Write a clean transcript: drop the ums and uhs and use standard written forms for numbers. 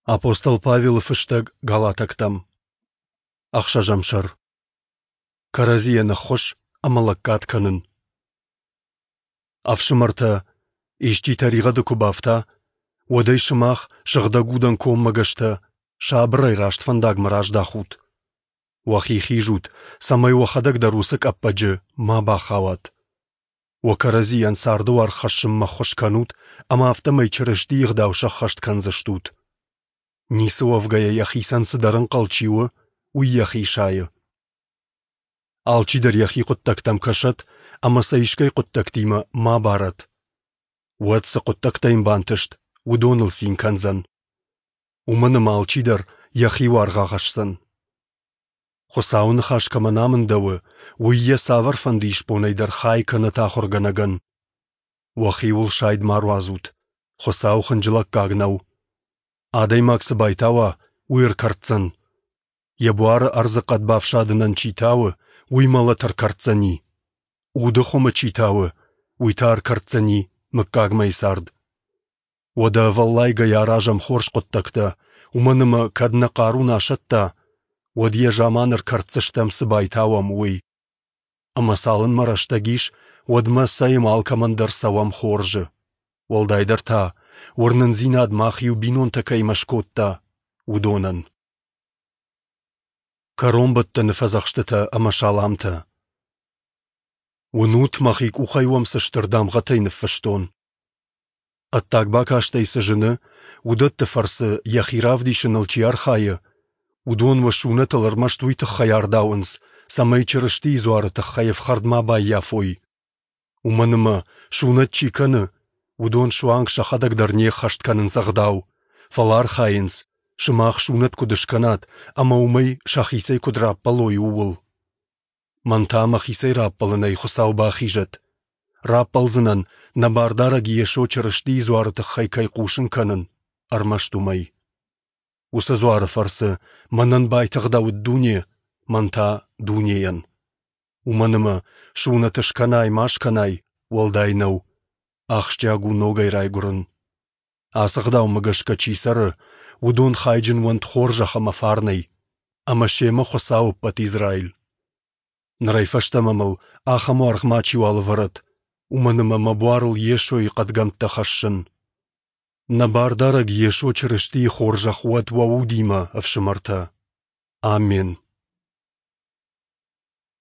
Апостол Павелы фыстӕг Галатӕгтӕм. Ӕхсӕзӕм сӕр. Кӕрӕдзийӕн ӕххуыс ӕмӕ лӕггад кӕнын. Ӕфсымӕртӕ, исчи тӕригъӕды куы бафта, уӕд ӕй сымах, сыгъдӕг удӕн коммӕгӕстӕ, сабырӕй раст фӕндагмӕ раздахут. Уӕхи хизут, цӕмӕй уӕхӕдӕг дӕр уыцы къӕппӕджы ма бахауат. Уӕ кӕрӕдзийӕн царды уаргъ хӕссынмӕ ӕххуыс кӕнут ӕмӕ афтӕмӕй Чырыстийы ӕгъдау сӕххӕст кӕндзыстут. Ницы уӕвгӕйӕ йӕхицӕн цыдӕр ӕнхъӕл чи у, уый йӕхи сайы. Алчидӕр йӕхи хъуыддӕгтӕм кӕсӕд ӕмӕ сӕ искӕй хъуыддӕгтимӕ ма барӕд. Уӕд цы хъуыддӕгтӕ йын бантыст, уыдоныл цин кӕндзӕн. Уымӕн ӕмӕ алчидӕр йӕхи уаргъ ахӕсдзӕн. Хуыцауы ныхас кӕмӕн амындӕуы, уый йӕ цавӕрфӕнды исбонӕй дӕр хай кӕнӕд ахуыргӕнӕгӕн. Уӕхиуыл сайд ма руадзут, Хуыцау хынджылӕггаг нӕу. Адӕймаг цы байтауа, уый ӕркӕрддзӕн. Йӕ буары ӕрдзыхъӕд бафсадынӕн чи тауы, уый мӕлӕт ӕркӕрддзӕни. Уды хуымы чи тауы, уый та ӕркӕрддзӕни мыггагмӕйы цард. Уӕдӕ ӕвӕллайгӕйӕ аразӕм хорз хъуыддӕгтӕ, уымӕн ӕмӕ кӕд нӕ хъару нӕ асӕтта, уӕд йӕ заман ӕркӕрддзыстӕм цы байтауӕм, уый. Ӕмӕ цалынмӕ рӕстӕг ис, уӕдмӕ цӕй алкӕмӕн дӕр цӕуӕм хорзы. Уӕлдайдӕр та, уырнындзинад мах иу бинонтӕ кӕимӕ скодта, уыдонӕн. Кӕронбӕттӕны фӕдзӕхстытӕ ӕмӕ саламтӕ. Уынут, мӕхи къухӕй уӕм цы стыр дамгъӕтӕй ныффыстон. Ӕддаг бакастӕй цы зыны, уыдӕтты фӕрцы йӕхи равдисыныл чи архайы, уыдон уӕ сунӕтыл ӕрмӕст уый тыххӕй ардауынц, цӕмӕй Чырыстийы дзуары тыххӕй ӕфхӕрд ма баййафой. Уымӕн ӕмӕ, сунӕт чи кӕны, уыдон суанг сӕхӕдӕг дӕр не ххӕст кӕнынц ӕгъдау, фӕлӕ архайынц, сымах сунӕт куыд скӕнат ӕмӕ уымӕй сӕхицӕй куыд раппӕлой, ууыл. Мӕн та мӕхицӕй раппӕлынӕй Хуыцау бахизӕд. Раппӕлдзынӕн, нӕ Бардарӕг Йесо Чырыстийы дзуары тыххӕй кӕй хъусын кӕнын, ӕрмӕст уымӕй. Уыцы дзуары фӕрцы мӕнӕн байтыгъдӕуыд дуне, мӕн та дунейӕн. Уымӕн ӕмӕ, сунӕт скӕнай ма скӕнай, уӕлдай нӕу. Ахсджиаг у ногӕй райгуырын. Ацы ӕгъдаумӕ гӕсгӕ чи цӕры, уыдон хайджын уӕнт хорзӕх ӕмӕ фарнӕй, ӕмӕ семӕ Хуыцау ӕппӕт Израиль. Нырӕй фӕстӕмӕ мыл ахӕм уаргъ мачиуал ӕвӕрӕд, уымӕн ӕмӕ мӕ буарыл Йесойы хъӕдгӕмттӕ хӕссын. Нӕ Бардарӕг Йесо Чырыстийы хорзӕх уӕд уӕ удимӕ, ӕфсымӕртӕ. Аммен.